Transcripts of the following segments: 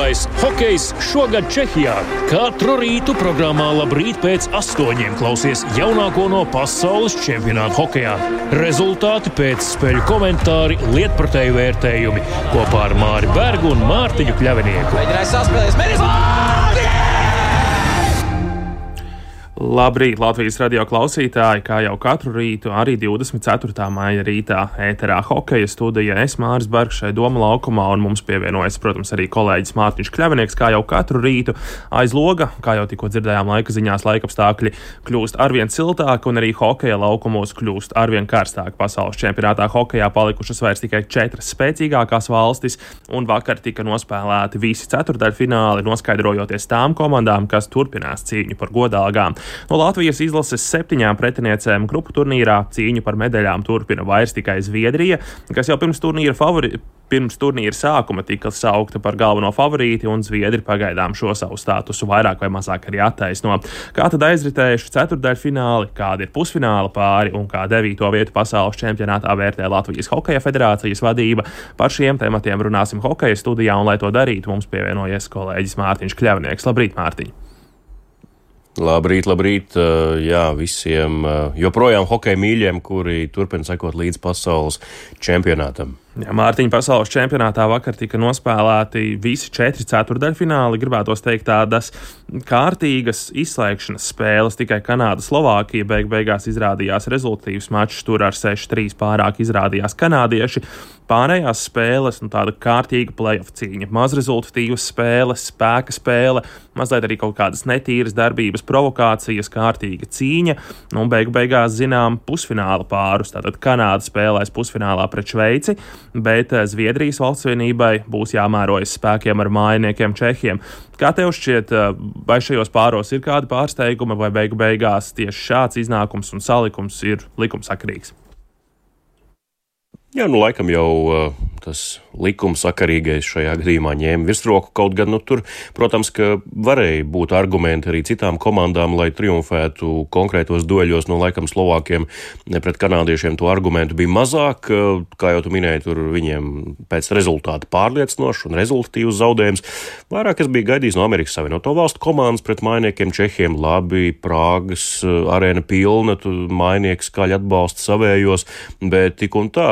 Lielais hokejs šogad Čehijā. Katru rītu programmā Labrīt pēc 8 klausies jaunāko no pasaules čempionāta hokejā. Rezultāti pēc spēļu komentāri, lietpratēju vērtējumi kopā ar Māri Bergu un Mārtiņu Kļavinieku. Mēģinājis saspēlēs, Labrīt, Latvijas radio klausītāji, kā jau katru rītu, arī 24. maija rītā ēterā hokeja studija. Es Māris Bergs šai Doma laukumā, un mums pievienojas, protams, arī kolēģis Mārtiņš Kļavinieks, kā jau katru rītu aiz loga, kā jau tikko dzirdējām laika ziņās, laikapstākļi kļūst arvien siltāki, un arī hokeja laukumos kļūst arvien karstāk. Pasaules čempionātā hokejā palikušas vairs tikai 4 spēcīgākās valstis, un vakar tika nospēlēti visi ceturdaļfināli, noskaidrojoties tām komandām, kas turpinās cīņu par godalgām. No Latvijas izlases 7 pretiniecēm grupu turnīrā cīņu par medaļām turpina vairs tikai Zviedrija, kas jau pirms turnīra sākuma tika saukta par galveno favorīti, un Zviedri pagaidām šo savu statusu vairāk vai mazāk arī attaisno. Kā tad aizritējuši ceturdaļfināli, kāda ir pusfināla pāri un kā 9. vietu pasaules čempionātā vērtē Latvijas Hokeja federācijas vadība? Par šiem tematiem runāsim hokeja studijā, un lai to darītu, mums pievienojies kolēģis Mārtiņš Kļavinieks. Labrīt, Mārtiņ! Labrīt, jā, visiem joprojām hokeja mīļiem, kuri turpina sekot līdz pasaules čempionātam. Jā, Mārtiņa, pasaules čempionātā vakar tika nospēlēti visi 4 ceturdaļfināli, gribētos teikt tādas kārtīgas izslēgšanas spēles, tikai Kanāda-Slovākija beigās izrādījās rezultatīvs mačs, tur ar 6-3 pārāk izrādījās kanādieši. Pārējās spēles, tāda kārtīga play-off cīņa, mazrezultatīvas spēles, spēka spēle, mazliet arī kaut kādas netīras darbības, provokācijas, kārtīga cīņa, un beigās zinām pusfināla pārus, tātad Kanāda spēlēs pusfinālā pret Šveici, bet Zviedrijas valstsvienībai būs jāmērojas spēkiem ar mājiniekiem Čehiem. Kā tev šķiet, vai šajos pāros ir kādi pārsteigumi, vai beigās tieši šāds iznākums un salikums ir likumsakarīgs? Jā, laikam jau tas likumsakarīgais šajā gadījumā ņēma virsroku, kaut gan, tur, protams, ka varēja būt argumenti arī citām komandām, lai triumfētu konkrētos dueļos, laikam Slovākiem pret kanādiešiem to argumentu bija mazāk, kā jau tu minēji, tur viņiem pēc rezultāta pārliecinošs un rezultatīvs zaudējums. Vairāk es biju gaidījis no Amerikas Savienoto Valstu komandas pret mājiniekiem Čehiem, labi, Prāgas arēna pilna, mājinieki skaļi atbalsta savējos, bet tik un tā,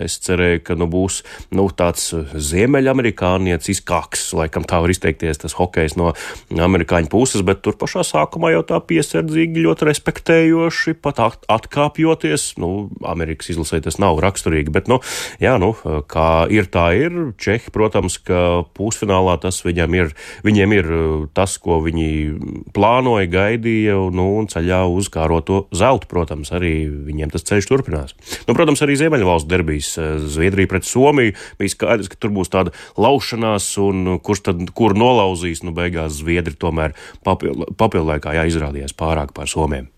es cerēju, ka būs tāds ziemeļamerikāniecis kaks, laikam tā var izteikties tas hokejs no amerikāņu puses, bet tur pašā sākumā jau tā piesardzīgi, ļoti respektējoši, pat atkāpjoties. Amerikas izlasē tas nav raksturīgi, bet, kā ir, tā ir. Čehi, protams, ka pusfinālā tas viņiem ir tas, ko viņi plānoja, gaidīja, un ceļā uz kāroto zeltu, protams, arī viņiem tas ceļš turpinās. Protams, arī Ziemeļvalstu derbijs Zviedrija pret Somiju bija skaidrs, ka tur būs tāda laušanās, un kur nolauzīs, beigās Zviedri tomēr papildlaikā izrādījās pārāk pār Somiem.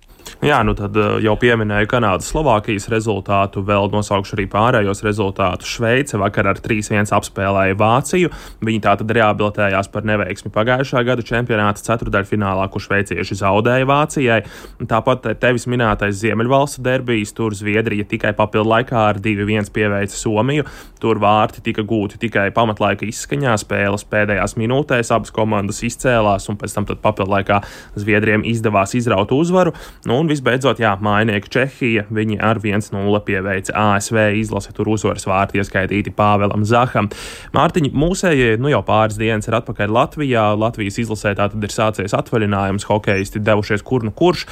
Jā, tad jau pieminēju Kanādas-Slovākijas rezultātu, vēl nosaukšu arī pārējos rezultātus. Šveice vakar ar 3-1 apspēlēja Vāciju. Viņi tātad reabilitējās par neveiksmi pagājušā gada čempionāta ceturdaļfinālā, kur šveicieši zaudēja Vācijai. Tāpat tevis minētais Ziemeļvalstu derbijs, tur Zviedrija tikai papildlaikā ar 2-1 pieveica Somiju. Tur vārti tika gūti tikai pamatlaika izskaņā, spēles pēdējās minūtēs, abas komandas izcēlās, un pēc tam papildlaikā Zviedriem izdevās izraut uzvaru. Un visbeidzot, mājinieki Čehija, viņi ar 1-0 pieveica ASV izlasi, tur uzvaras vārti ieskaitīti Pāvelam Zaham. Mārtiņ, mūsējie jau pāris dienas ir atpakaļ Latvijā. Latvijas izlasē tātad ir sācies atvaļinājums, hokeisti devušies kur kurš.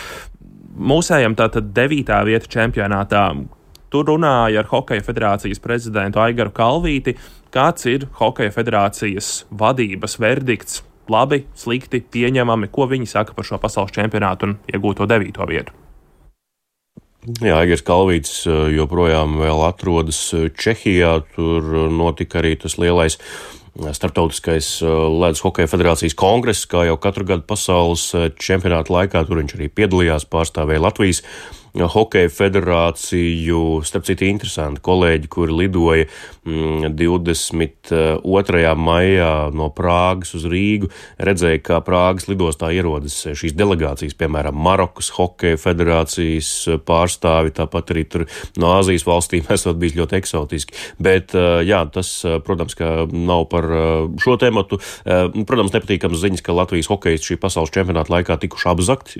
Mūsējiem tātad 9. vieta čempionātā. Tur runāja ar Hokeja federācijas prezidentu Aigaru Kalvīti. Kāds ir Hokeja federācijas vadības verdikts? Labi, slikti, pieņemami, ko viņi saka par šo pasaules čempionātu un iegūto 9. vietu? Jā, Aigars Kalvītis joprojām vēl atrodas Čehijā, tur notika arī tas lielais starptautiskais ledus hokeja federācijas kongress, kā jau katru gadu pasaules čempionāta laikā, tur viņš arī piedalījās, pārstāvēja Latvijas Hokeja federāciju. Starp citu, interesanti, kolēģi, kuri lidoja 22. maijā no Prāgas uz Rīgu, redzēja, kā Prāgas lidostā ierodas šīs delegācijas, piemēram, Marokas Hokeja federācijas pārstāvi, tāpat arī tur no Āzijas valstīm esot bijis ļoti eksotiski. Bet, jā, tas, protams, ka nav par šo tematu. Protams, nepatīkams ziņas, ka Latvijas hokejisti šī pasaules čempionāta laikā tikuši apzakti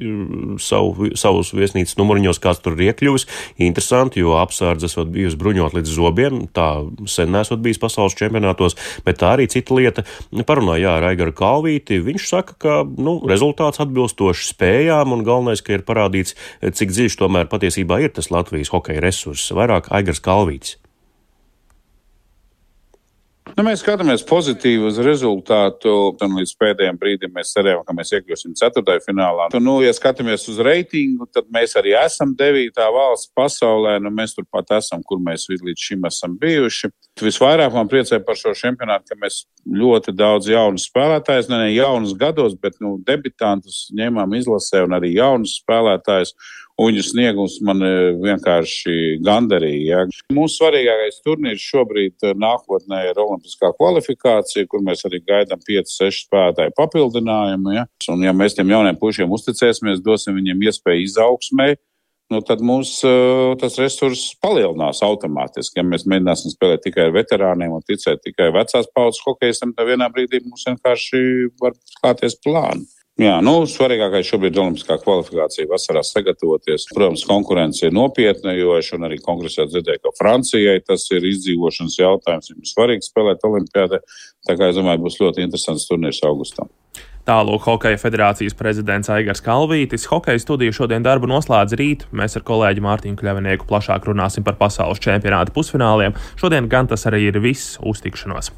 savus viesnīcas numuriņos, kāds tur ir iekļuvis. Interesanti, jo apsardze esot bijusi bruņot līdz zobiem, tā sen nesot bijis pasaules čempionātos, bet tā arī cita lieta. Parunāja ar Aigaru Kalvīti, viņš saka, ka, rezultāts atbilstoši spējām un galvenais, ka ir parādīts, cik dziļš tomēr patiesībā ir tas Latvijas hokeja resurss. Vairāk Aigars Kalvītis. Mēs skatāmies pozitīvi uz rezultātu, un līdz pēdējiem brīdim mēs cerējām, ka mēs iekļūsim 4. finālā. Ja skatāmies uz reitingu, tad mēs arī esam 9. valsts pasaulē, mēs turpat esam, kur mēs līdz šim esam bijuši. Visvairāk man priecē par šo čempionātu, ka mēs ļoti daudz jaunus spēlētājus, ne jaunus gados, bet debitantus ņēmām izlasē un arī jaunus spēlētājus. Viņu sniegums man vienkārši gandarīja. Mūsu svarīgākais turnīrs šobrīd nākotnē ir olimpiskā kvalifikācija, kur mēs arī gaidām 5-6 spēlētāju papildinājumu. Ja? Un ja mēs tiem jauniem pušiem uzticēsimies, dosim viņiem iespēju izaugsmē, tad mums tas resurss palielinās automātiski. Ja mēs mēģināsim spēlēt tikai ar veterāniem un ticēt tikai vecās paudzes hokejistiem, tad vienā brīdī mums vienkārši var klāties plāni. Jā, svarīgākais šobrīd ir olimpiskā kvalifikācija vasarā sagatavoties. Protams, konkurence ir nopietna, jo es arī kongresā dzirdēju, ka Francijai tas ir izdzīvošanas jautājums. Viņam ir svarīgi spēlēt olimpiādē, tā kā es domāju, būs ļoti interesants turnīrs augustā. Tālūk Hokeja federācijas prezidents Aigars Kalvītis. Hokeja studiju šodien darbu noslēdz rīt. Mēs ar kolēģi Mārtiņu Kļavinieku plašāk runāsim par pasaules čempionāta pusfināliem. Šodien gan tas arī ir viss. Uz tikšanos!